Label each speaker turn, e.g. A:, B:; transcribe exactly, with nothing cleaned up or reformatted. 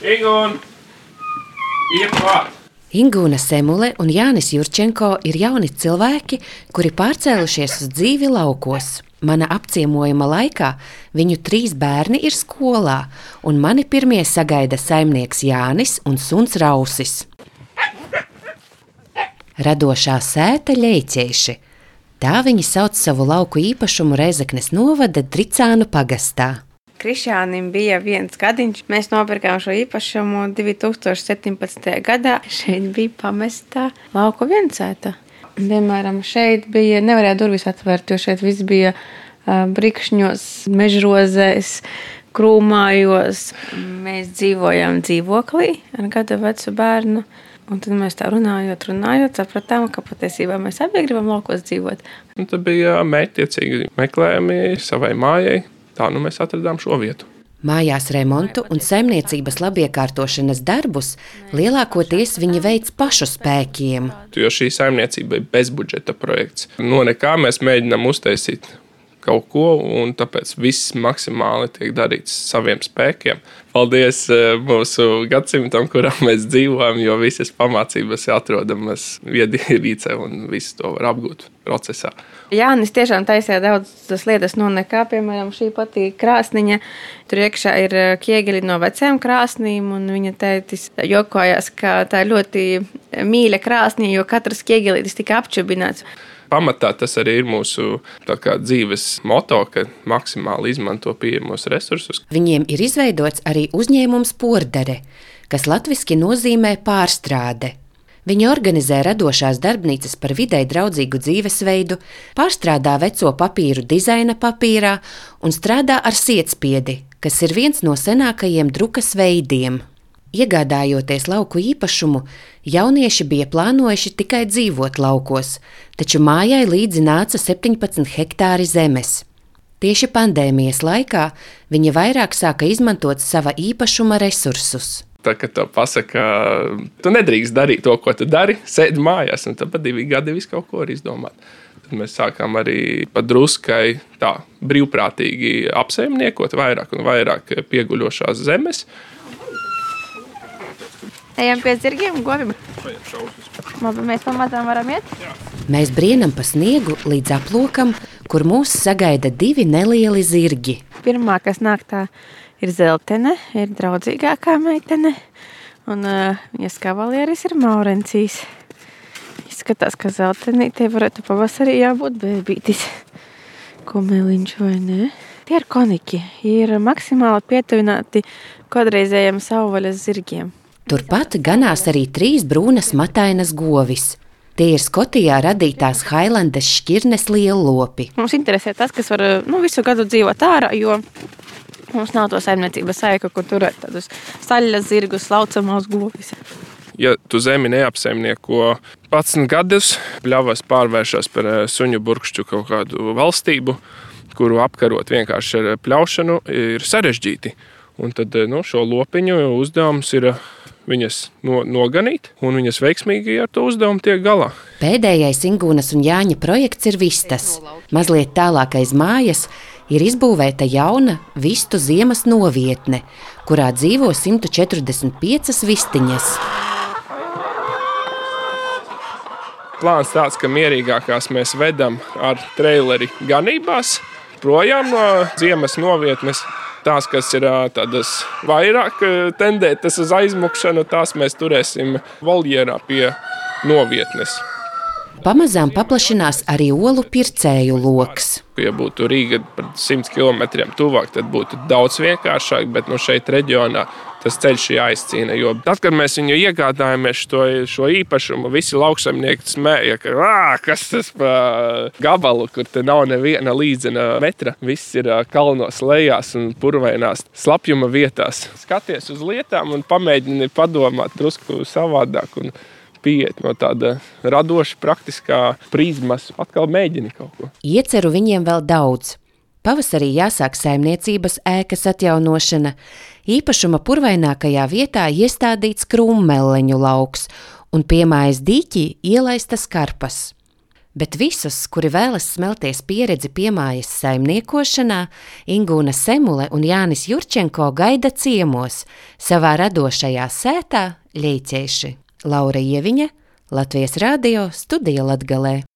A: Ingūna! Iet klāt!
B: Ingūna Semule un Jānis Jurčenko ir jauni cilvēki, kuri pārcēlušies uz dzīvi laukos. Mana apciemojuma laikā viņu trīs bērni ir skolā, un mani pirmie sagaida saimnieks Jānis un suns Rausis. Radošā sēta Ļeiķieši. Tā viņi sauc savu lauku īpašumu Rēzeknes novada Dricānu pagastā.
C: Krišjānim bija viens gadiņš. Mēs nopirkām šo īpašumu divi tūkstoši septiņpadsmitajā gadā. Šeit bija pamestā lauku viensēta. Piemēram, šeit bija, nevarēja durvis atvērt, jo šeit viss bija uh, brikšņos, mežrozēs, krūmājos. Mēs dzīvojām dzīvoklī ar gada vecu bērnu. Un tad mēs tā runājot, runājot, sapratām, ka patiesībā mēs abi gribam laukos dzīvot.
A: Un tad bija mērķtiecīgi meklējumi savai mājai. Tā nu mēs atradām šo vietu.
B: Mājās remontu un saimniecības labiekārtošanas darbus lielākoties viņi veic pašu spēkiem.
A: Jo šī saimniecība ir bezbudžeta projekts. No nekā mēs mēģinām uztaisīt kaut ko, un tāpēc viss maksimāli tiek darīts saviem spēkiem. Paldies mūsu gadsimtam, kurā mēs dzīvojam, jo visas pamācības ir atrodamas viedierīcē un visu to var apgūt procesā.
C: Jānis tiešām taisīja daudzas lietas no nekā, piemēram, šī pati krāsniņa. Tur iekšā ir ķiegeļi no veciem krāsnīm, un viņa tētis jokojās, ka tā ir ļoti mīļa krāsniņa, jo katrs ķiegelītis tika apčubināts.
A: Pamatā tas arī ir mūsu tā kā dzīves moto, ka maksimāli izmanto pieejamos resursus.
B: Viņiem ir izveidots arī uzņēmums Pordare, kas latviski nozīmē pārstrāde. Viņi organizē radošās darbnīcas par videi draudzīgu dzīvesveidu, pārstrādā veco papīru dizaina papīrā un strādā ar sietspiedi, kas ir viens no senākajiem drukas veidiem. Iegādājoties lauku īpašumu, jaunieši bija plānojuši tikai dzīvot laukos, taču mājai līdzi nāca septiņpadsmit hektāri zemes. Tieši pandēmijas laikā viņi vairāk sāka izmantot sava īpašuma resursus.
A: Tā, kad tev pasaka, tu nedrīkst darīt to, ko tu dari, sēdi mājās, un tad pa divi gadi visu kaut ko var izdomāt. Tad mēs sākām arī pa druskai tā brīvprātīgi apsaimniekot vairāk un vairāk pieguļošās zemes.
C: Ejam pie zirgiem, govim. Labi, mēs pamazām varam iet?
A: Jā.
B: Mēs brienam pa sniegu līdz aplokam, kur mūs sagaida divi nelieli zirgi.
C: Pirmā, kas nāk, tā ir Zeltene, ir draudzīgākā meitene, un uh, viņas kavalieris ir Maurencīs. Izskatās, ka Zeltenītei varētu pavasarī jābūt bēbītis. Kumeliņš vai ne? Tie ir koniki, ir maksimāli pietuvināti kodreizējiem savvaļas zirgiem.
B: Turpat ganās arī trīs brūnas matainas govis. Tie ir Skotijā radītās Hailandes šķirnes lielopi.
C: Mums interesē tas, kas var nu, visu gadu dzīvot ārā, jo mums nav to saimniecības saika, kur turēt tādus saļas zirgus, laucamās govis.
A: Ja tu zemi neapsaimnieko padsmit gadus, pļavas pārvēršas par suņu burkšķu kaut kādu valstību, kuru apkarot vienkārši ar pļaušanu, ir sarežģīti. Un tad nu, šo lopiņu uzdevums ir viņas no, noganīt, un viņas veiksmīgi ar to uzdevumu tiek galā.
B: Pēdējais Ingūnas un Jāņa projekts ir vistas. Mazliet tālāk aiz mājas ir izbūvēta jauna vistu ziemas novietne, kurā dzīvo simt četrdesmit piecas vistiņas.
A: Plāns tāds, ka mierīgākās mēs vedam ar treileri ganībās, projām no ziemas novietnes. Tās, kas ir tādas vairāk tendētas uz aizmukšanu, tās mēs turēsim voljierā pie novietnes.
B: Pamazām paplašinās arī olu pircēju loks.
A: Ja būtu Rīga par simt kilometriem tuvāk, tad būtu daudz vienkāršāk, bet no šeit reģionā tas ceļš jāizcīna. Jo tad, kad mēs viņu iegādājamies šo, šo īpašumu, visi lauksaimnieki smēja, ka ā, kas tas pa gabalu, kur te nav neviena līdzena metra. Viss ir kalnos lejās un purvainās slapjuma vietās. Skaties uz lietām un pamēģini padomāt drusku savādāk un pieiet no tāda radoša, praktiskā prizmas. Atkal mēģini kaut ko.
B: Ieceru viņiem vēl daudz. Pavasarī jāsāk saimniecības ēkas atjaunošana. Īpašuma purvainākajā vietā iestādīts krūmmeleņu lauks un pie mājas dīķī ielaistas karpas. Bet visus, kuri vēlas smelties pieredzi piemājas saimniekošanā, Ingūna Semule un Jānis Jurčenko gaida ciemos savā radošajā sētā Ļeicieši. Laura Ieviņa, Latvijas Radio, Studija Latgalē.